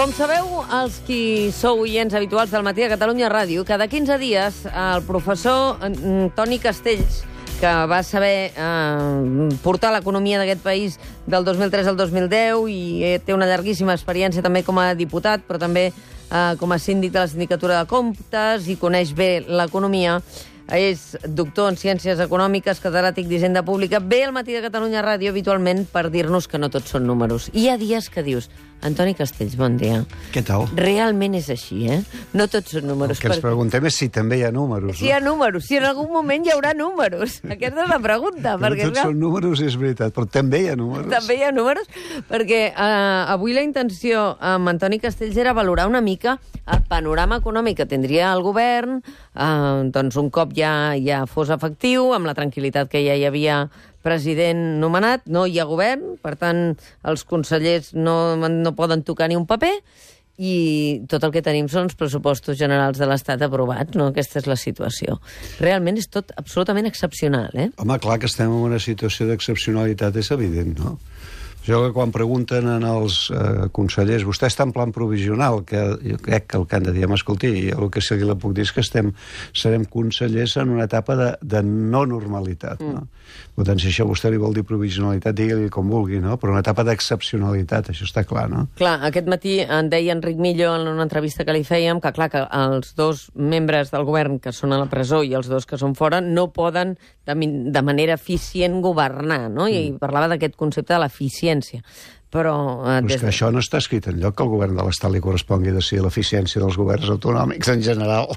Com sabeu, els qui sou oients habituals del Matí de Catalunya Ràdio, cada 15 dies el professor Toni Castells, que va saber portar l'economia d'aquest país del 2003 al 2010 i té una llarguíssima experiència també com a diputat, però també com a síndic de la Sindicatura de Comptes i coneix bé l'economia. És doctor en Ciències Econòmiques, catedràtic d'Hisenda Pública. Ve al Matí de Catalunya Ràdio habitualment per dir-nos que no tots són números. I hi ha dies que dius, Antoni Castells, bon dia. Què tal? Realment és així, eh? No tots són números. El que ens preguntem és si també hi ha números. Si hi ha números, si en algun moment hi haurà números. Aquesta és la pregunta. No tots són números, és veritat, però també hi ha números. També hi ha números, perquè avui la intenció amb Antoni Castells era valorar una mica el panorama econòmic que tindria el govern, doncs un cop ja fos efectiu, amb la tranquil·litat que ja hi havia president nomenat, no hi ha govern, per tant, els consellers no poden tocar ni un paper, i tot el que tenim són els pressupostos generals de l'Estat aprovats, no? Aquesta és la situació. Realment és tot absolutament excepcional, eh? Home, clar que estem en una situació d'excepcionalitat, és evident, no? Jo que quan pregunten als consellers, vostè està en plan provisional, que jo crec que el que han de dir, escolti, el que sí que puc dir és que serem consellers en una etapa de no normalitat, no? Per tant, si això vostè li vol dir provisionalitat, digui-li com vulgui, no? Però una etapa d'excepcionalitat, això està clar, no? Clar, aquest matí en deia Enric Millo en una entrevista que li fèiem que, clar, que els dos membres del govern que són a la presó i els dos que són fora no poden de manera eficient governar, no? I parlava d'aquest concepte de l'eficiència. Però és que això no està escrit enlloc, que el govern de l'Estat li correspongui decidir l'eficiència dels governs autonòmics en general,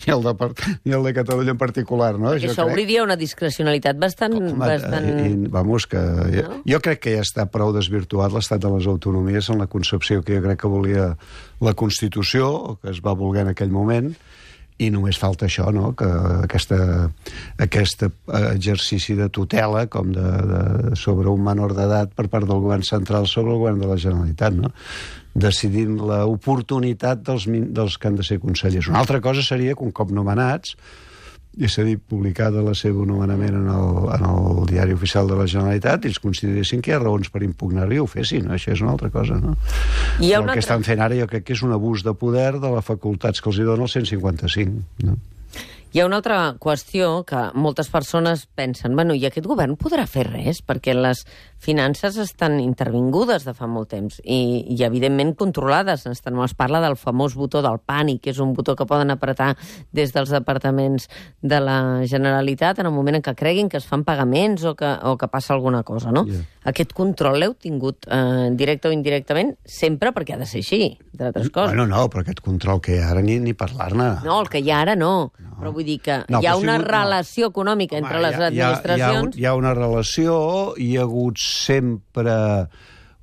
i el de Catalunya en particular, no? Això obliria una discrecionalitat bastant... Vamos, que jo crec que ja està prou desvirtuat l'estat de les autonomies en la concepció que jo crec que volia la Constitució, o que es va voler en aquell moment, i només falta això, no? Que aquest exercici de tutela com sobre un menor d'edat per part del govern central sobre el govern de la Generalitat, no? Decidint l'oportunitat dels que han de ser consellers. Una altra cosa seria que un cop nomenats, i s'ha dit publicada la seva nomenament en el diari oficial de la Generalitat, i ells consideressin que hi ha raons per impugnar-hi, ho fessin, no? Això és una altra cosa, no? El que estan fent ara jo crec que és un abús de poder de les facultats que els hi dona el 155, no? Hi ha una altra qüestió que moltes persones pensen, bueno, i aquest govern podrà fer res, perquè les finances estan intervingudes de fa molt temps i evidentment controlades. Es parla del famós botó del pànic, que és un botó que poden apretar des dels departaments de la Generalitat en el moment en què creguin que es fan pagaments o que passa alguna cosa, no? Yeah. Aquest control l'heu tingut directe o indirectament sempre, perquè ha de ser així, entre altres coses. Bueno, no, però aquest control que hi ha ara ni parlar-ne. No, el que hi ha ara no. Però vull dir que hi ha una relació econòmica entre les administracions... Hi ha una relació, hi ha hagut sempre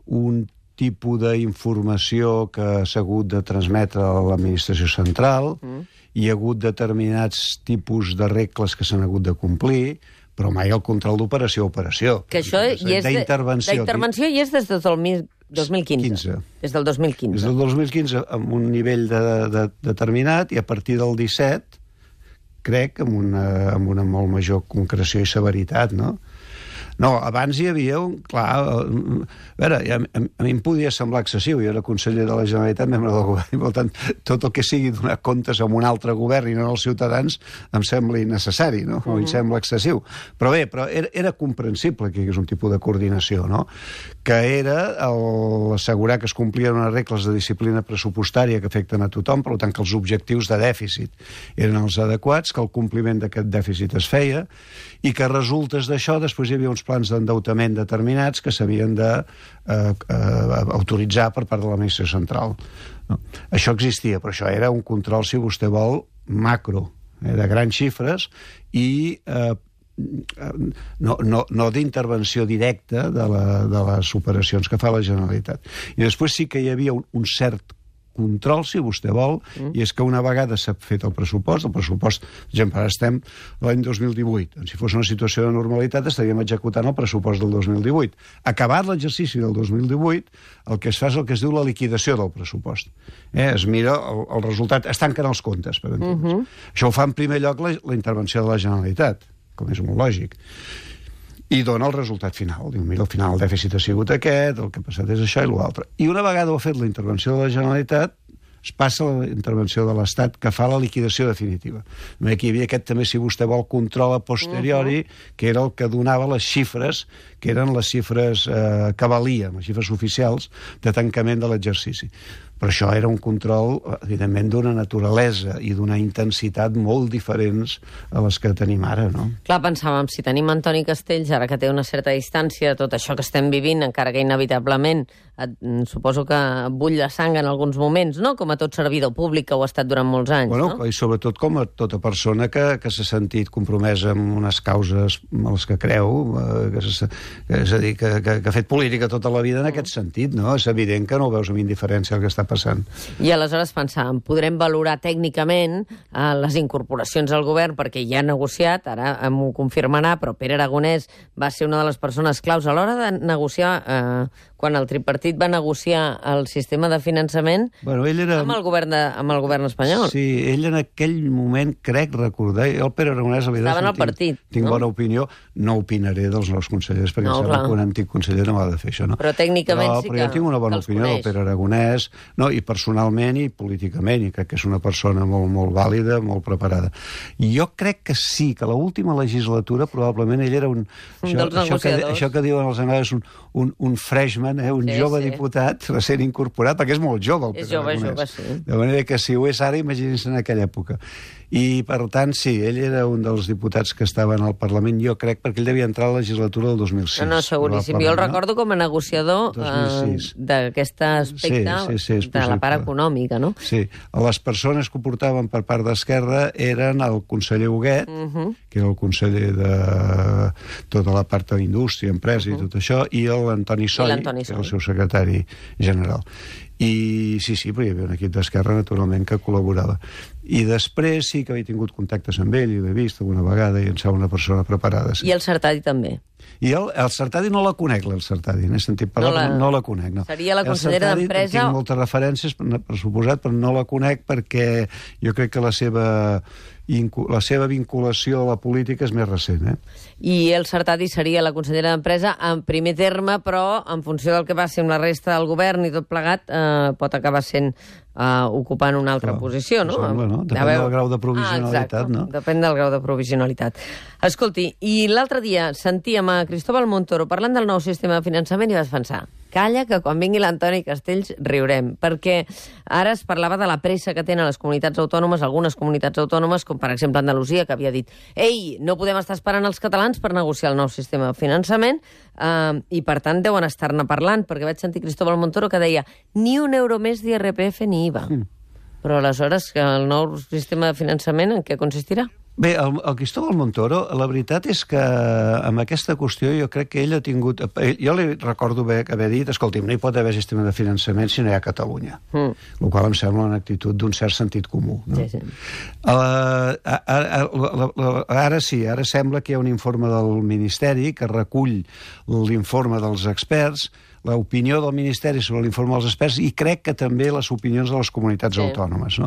un tipus d'informació que s'ha hagut de transmetre a l'administració central, hi ha hagut determinats tipus de regles que s'han hagut de complir, però mai el control d'operació a operació. Que això d'intervenció hi és des del 2015. Des del 2015. Des del 2015 amb un nivell determinat, i a partir del 17 crec, amb una molt major concreció i severitat, no? No, abans hi havia un... Clar, a veure, a mi em podia semblar excessiu. Jo era conseller de la Generalitat, membre del govern, i per tant, tot el que sigui donar comptes a un altre govern i no als ciutadans em sembla innecessari, no? O em sembla excessiu. Però bé, era comprensible que hi hagués un tipus de coordinació, no? Que era assegurar que es complien unes regles de disciplina pressupostària que afecten a tothom, per tant, que els objectius de dèficit eren els adequats, que el compliment d'aquest dèficit es feia, i que resultes d'això després hi havia uns plans d'endeutament determinats que s'havien d'autoritzar per part de l'administració central. No. Això existia, però això era un control, si vostè vol, macro, de grans xifres, i no d'intervenció directa de les operacions que fa la Generalitat. I després sí que hi havia un cert control, si vostè vol, i és que una vegada s'ha fet el pressupost, per exemple, ara estem l'any 2018, si fos una situació de normalitat estaríem executant el pressupost del 2018. Acabat l'exercici del 2018, el que es fa és el que es diu la liquidació del pressupost. Es mira el resultat, es tanquen els comptes, per entendre's. Això ho fa en primer lloc la intervenció de la Generalitat, com és molt lògic. I dona el resultat final. Diu, mira, al final el dèficit ha sigut aquest, el que ha passat és això i l'altre. I una vegada ho ha fet la intervenció de la Generalitat, es passa a la intervenció de l'Estat que fa la liquidació definitiva. Aquí hi havia aquest, també, si vostè vol, control a posteriori, que era el que donava les xifres, que eren les xifres que valien, les xifres oficials de tancament de l'exercici. Però això era un control, evidentment, d'una naturalesa i d'una intensitat molt diferents a les que tenim ara, no? Clar, pensàvem, si tenim Antoni Castells, ara que té una certa distància de tot això que estem vivint, encara que inevitablement suposo que bull la sang en alguns moments, no? Com a tot servidor públic que ho ha estat durant molts anys, bueno, no? I sobretot com a tota persona que s'ha sentit compromesa amb unes causes a les que creu, és a dir, que ha fet política tota la vida en aquest sentit, no? És evident que no ho veus amb indiferència el que està passant. I aleshores pensàvem, podrem valorar tècnicament les incorporacions al govern, perquè ja ha negociat, ara m'ho confirmarà, però Pere Aragonès va ser una de les persones claus a l'hora de negociar, quan el tripartit va negociar el sistema de finançament, bueno, ell era... amb el govern espanyol. Sí, ell en aquell moment, crec recordar, el Pere Aragonès... Estaven al partit. Tinc bona opinió, no opinaré dels nous consellers, perquè em sembla que un antic conseller no ha de fer això, no? Però tècnicament sí que... Però jo tinc una bona opinió del Pere Aragonès, no, i personalment i políticament, i crec que és una persona molt, molt vàlida, molt preparada. I jo crec que sí, que l'última legislatura probablement ell era un dels negociadors. Això que diuen els anglesos, un freshman, un jove diputat recent incorporat, perquè és molt jove el Pere Aragonès. Jove, sí. De manera que si ho és ara, imaginin-se en aquella època. I, per tant, sí, ell era un dels diputats que estaven al Parlament, jo crec, perquè ell devia entrar a la legislatura del 2006. No, seguríssim. Jo el recordo com a negociador d'aquest aspecte de la part econòmica, no? Sí. Les persones que ho portaven per part d'Esquerra eren el conseller Huguet, que era el conseller de tota la part de la indústria, empresa i tot això, i l'Antoni Soy, que era el seu secretari general. I sí, però hi havia un equip d'Esquerra, naturalment, que col·laborava. I després sí que havia tingut contactes amb ell, i l'he vist alguna vegada, i em sembla una persona preparada. Sí. I el Sartadi també. I el Sartadi no la conec, el Sartadi, n'he sentit parlar, no la conec, no. Seria la consellera d'Empresa... Tinc moltes referències, per suposat, però no la conec perquè jo crec que la seva vinculació a la política és més recent, I el Sartadi seria la consellera d'Empresa en primer terme, però en funció del que passi amb la resta del govern i tot plegat, pot acabar sent ocupant una altra posició, no? Depèn del grau de provisionalitat, no? Depèn del grau de provisionalitat. Escolti, i l'altre dia sentíem a Cristóbal Montoro parlant del nou sistema de finançament i vas pensar, calla, que quan vingui l'Antoni Castells riurem, perquè ara es parlava de la pressa que tenen les comunitats autònomes, algunes comunitats autònomes, com per exemple Andalusia, que havia dit ei, no podem estar esperant els catalans per negociar el nou sistema de finançament, i per tant deuen estar-ne parlant, perquè vaig sentir Cristóbal Montoro que deia ni un euro més d'IRPF ni IVA. Però aleshores, el nou sistema de finançament en què consistirà? Bé, el Cristóbal Montoro, la veritat és que amb aquesta qüestió jo crec que ell ha tingut... Jo li recordo haver dit, escolti'm, no hi pot haver sistema de finançament si no hi ha Catalunya. El qual em sembla una actitud d'un cert sentit comú. No? Sí. Ara sí, ara sembla que hi ha un informe del Ministeri que recull l'informe dels experts, l'opinió del Ministeri sobre l'informe dels experts i crec que també les opinions de les comunitats autònomes. No?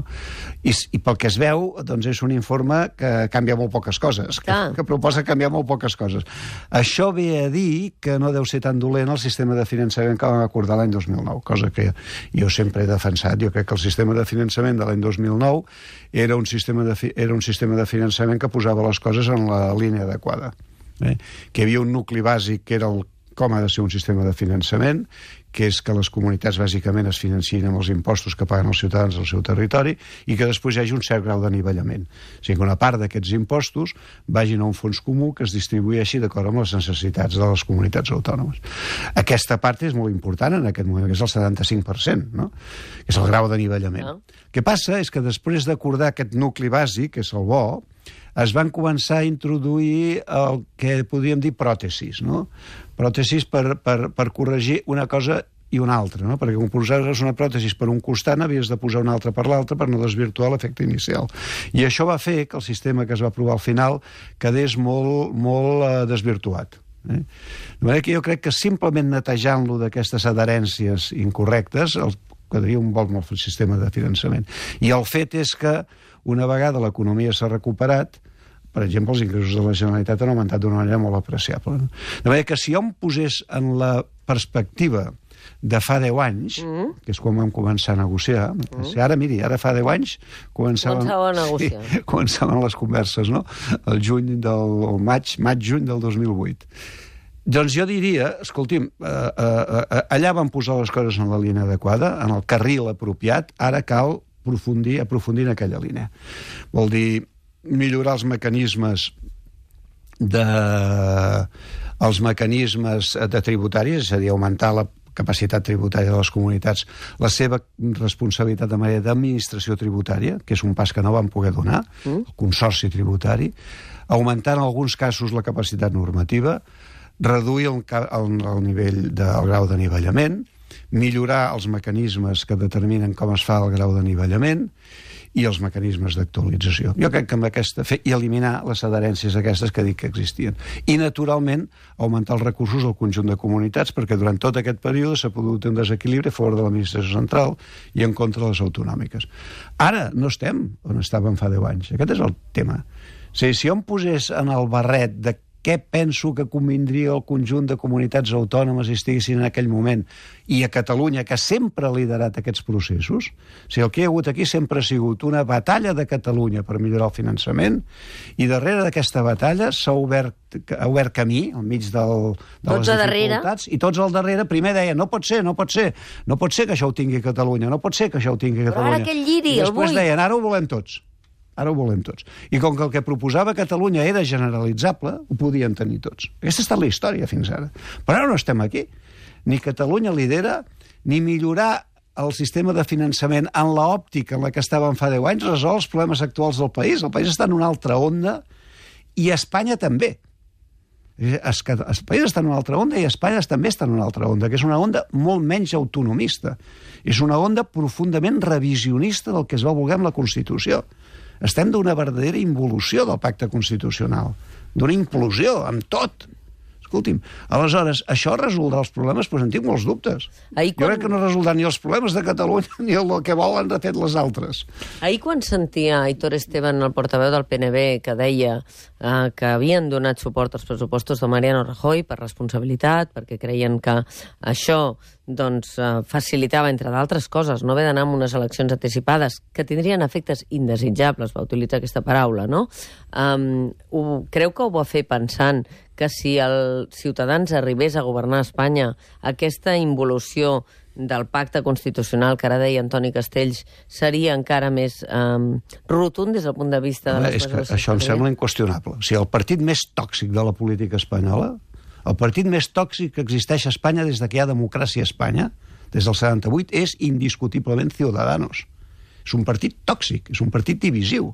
I pel que es veu, doncs és un informe que canvia molt poques coses, que proposa canviar molt poques coses. Això ve a dir que no deu ser tan dolent el sistema de finançament que vam acordar l'any 2009, cosa que jo sempre he defensat. Jo crec que el sistema de finançament de l'any 2009 era un sistema de finançament que posava les coses en la línia adequada. Que hi havia un nucli bàsic que era com ha de ser un sistema de finançament, que és que les comunitats bàsicament es financin amb els impostos que paguen els ciutadans del seu territori i que després hi hagi un cert grau d'anivellament. O sigui que una part d'aquests impostos vagin a un fons comú que es distribueixi d'acord amb les necessitats de les comunitats autònomes. Aquesta part és molt important en aquest moment, que és el 75%, no? Que és el grau d'anivellament. El que passa és que després d'acordar aquest nucli bàsic, que és el bo, es van començar a introduir el que podríem dir pròtesis, no? Pròtesis per corregir una cosa i una altra, no? Perquè quan posaves una pròtesis per un costat havies de posar una altra per l'altre per no desvirtuar l'efecte inicial. I això va fer que el sistema que es va aprovar al final quedés molt desvirtuat. De manera que jo crec que simplement netejant-lo d'aquestes adherències incorrectes quedaria un bon sistema de finançament. I el fet és que una vegada l'economia s'ha recuperat, per exemple, els ingressos de la Generalitat han augmentat d'una manera molt apreciable. De manera que si jo em posés en la perspectiva de fa 10 anys, que és quan vam començar a negociar, ara, miri, ara fa 10 anys començaven a negociar. Sí, començaven les converses, no? El maig-juny del 2008. Doncs jo diria, escolti'm, allà van posar les coses en la línia adequada, en el carril apropiat, ara cal aprofundir en aquella línia. Vol dir, millorar els mecanismes de tributaris, és a dir, augmentar la capacitat tributària de les comunitats, la seva responsabilitat de manera d'administració tributària, que és un pas que no van poder donar, el consorci tributari, augmentar en alguns casos la capacitat normativa, reduir el nivell del grau d'anivellament, millorar els mecanismes que determinen com es fa el grau d'anivellament i els mecanismes d'actualització. Jo crec que amb aquesta i eliminar les adherències aquestes que dic que existien. I, naturalment, augmentar els recursos al conjunt de comunitats, perquè durant tot aquest període s'ha produït un desequilibri a favor de l'administració central i en contra de les autonòmiques. Ara no estem on estàvem fa 10 anys. Aquest és el tema. O sigui, si jo em posés en el barret de què penso que convindria al conjunt de comunitats autònomes si estiguessin en aquell moment, i a Catalunya, que sempre ha liderat aquests processos, o sigui, el que hi ha hagut aquí sempre ha sigut una batalla de Catalunya per millorar el finançament, i darrere d'aquesta batalla s'ha obert camí, al mig de les dificultats, i tots al darrere primer deien, no pot ser que això ho tingui Catalunya, no pot ser que això ho tingui Catalunya. Però ara que el lliri, el vull. I després deien, ara ho volem tots. Ara ho volem tots. I com que el que proposava Catalunya era generalitzable, ho podien tenir tots. Aquesta ha estat la història fins ara. Però ara no estem aquí. Ni Catalunya lidera, ni millorar el sistema de finançament en l'òptica en la que estàvem fa 10 anys resol els problemes actuals del país. El país està en una altra onda i Espanya també. El país està en una altra onda i Espanya també està en una altra onda, que és una onda molt menys autonomista. És una onda profundament revisionista del que es va voler amb la Constitució. Estem d'una verdadera involució del pacte constitucional, d'una implosió, amb tot. Escolti'm, aleshores, això resoldrà els problemes? Doncs en tinc molts dubtes. Jo crec que no resoldrà ni els problemes de Catalunya ni el que volen de fet les altres. Ahir quan sentia Aitor Esteban, el portaveu del PNB, que deia que havien donat suport als pressupostos de Mariano Rajoy per responsabilitat, perquè creien que això facilitava, entre d'altres coses, no haver d'anar amb unes eleccions anticipades que tindrien efectes indesitjables, va utilitzar aquesta paraula, no? Creu que ho va fer pensant que si els Ciutadans arribés a governar Espanya, aquesta involució del pacte constitucional que ara deia Antoni Castells seria encara més rotund des del punt de vista de les coses? Això em sembla inqüestionable. O sigui, el partit més tòxic de la política espanyola, el partit més tòxic que existeix a Espanya des que hi ha democràcia a Espanya, des del 78, és indiscutiblement Ciudadanos. És un partit tòxic, és un partit divisiu.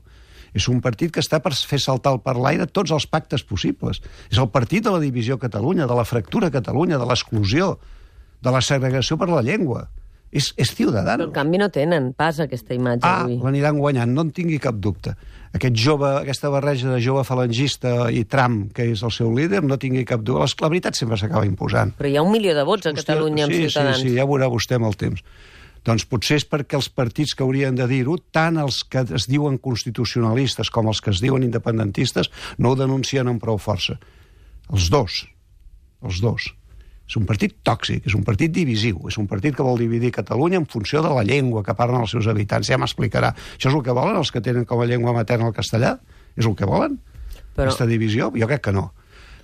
És un partit que està per fer saltar per l'aire tots els pactes possibles. És el partit de la divisió a Catalunya, de la fractura a Catalunya, de l'exclusió, de la segregació per la llengua. És Ciudadanos. Però en canvi no tenen pas aquesta imatge avui. L'aniran guanyant, no en tingui cap dubte. Aquesta barreja de jove falangista i Trump, que és el seu líder, no tingui cap dubte. La veritat sempre s'acaba imposant. Però hi ha 1 milió de vots a Catalunya amb Ciutadans. Sí, ja veurà vostè amb el temps. Doncs potser és perquè els partits que haurien de dir-ho, tant els que es diuen constitucionalistes com els que es diuen independentistes, no ho denuncien amb prou força. Els dos. És un partit tòxic, és un partit divisiu, és un partit que vol dividir Catalunya en funció de la llengua que parlen els seus habitants. Ja m'explicarà. Això és el que volen els que tenen com a llengua materna el castellà? És el que volen? Aquesta divisió? Jo crec que no.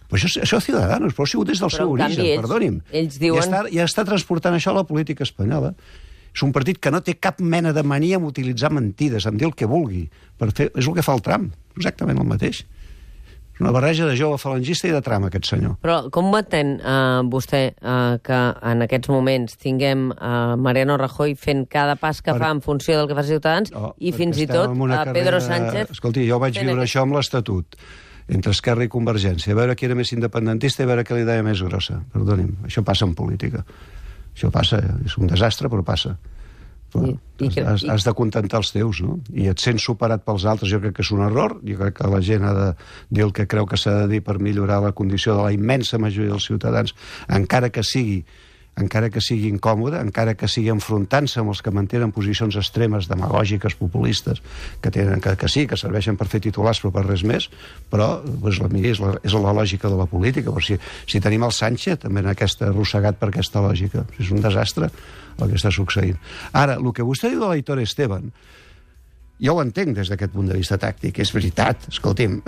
Però això és Ciudadanos, però ha sigut des del seu origen, perdoni'm. Ells diuen... I està transportant això a la política espanyola. És un partit que no té cap mena de mania en utilitzar mentides, en dir el que vulgui. És el que fa el Trump, exactament el mateix. És una barreja de jove falangista i de Trump, aquest senyor. Però com entén vostè que en aquests moments tinguem Mariano Rajoy fent cada pas que fa en funció del que fa Ciutadans i fins i tot Pedro Sánchez... Escolti, jo vaig viure això amb l'Estatut, entre Esquerra i Convergència, a veure qui era més independentista i a veure què li deia més grossa. Perdoni'm, això passa en política. Això passa, és un desastre, però passa. Has de contentar els teus, no? I et sents superat pels altres, jo crec que és un error, jo crec que la gent ha de dir el que creu que s'ha de dir per millorar la condició de la immensa majoria dels ciutadans, encara que sigui encara que sigui incòmode, encara que sigui enfrontant-se amb els que mantenen posicions extremes, demagògiques, populistes, que sí, que serveixen per fer titulars però per res més, però doncs, és la lògica de la política. Però si tenim el Sánchez també en arrossegat per aquesta lògica, és un desastre el que està succeint. Ara, el que vostè diu de l'Aitor Esteban, jo ho entenc des d'aquest punt de vista tàctic, és veritat, escolti'm,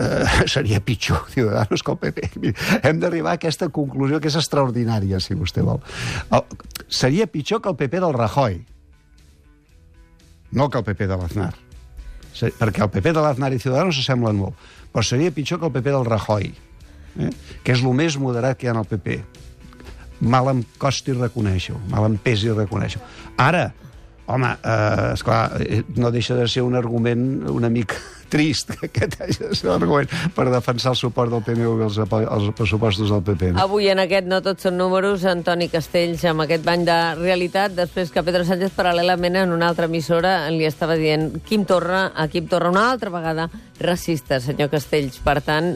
seria pitjor Ciudadanos que el PP. Hem d'arribar a aquesta conclusió que és extraordinària, si vostè vol. Seria pitjor que el PP del Rajoy, no que el PP de l'Aznar, perquè el PP de l'Aznar i Ciudadanos s'assemblen molt, però seria pitjor que el PP del Rajoy, que és el més moderat que hi ha en el PP. Mal em costi reconèixer-ho, mal em pesi reconèixer-ho. Ara, home, esclar, no deixa de ser un argument una mica trist, que aquest hagi de ser l'argument per defensar el suport del PNV als pressupostos del PP. No? Avui en aquest No tots són números, Antoni Castells, amb aquest bany de realitat, després que Pedro Sánchez paral·lelament en una altra emissora li estava dient Quim Torra una altra vegada racista, senyor Castells. Per tant,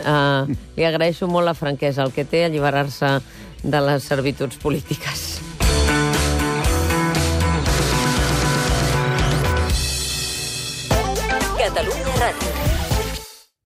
li agraeixo molt la franquesa, el que té alliberar-se de les servituds polítiques. Catalunya Ràdio.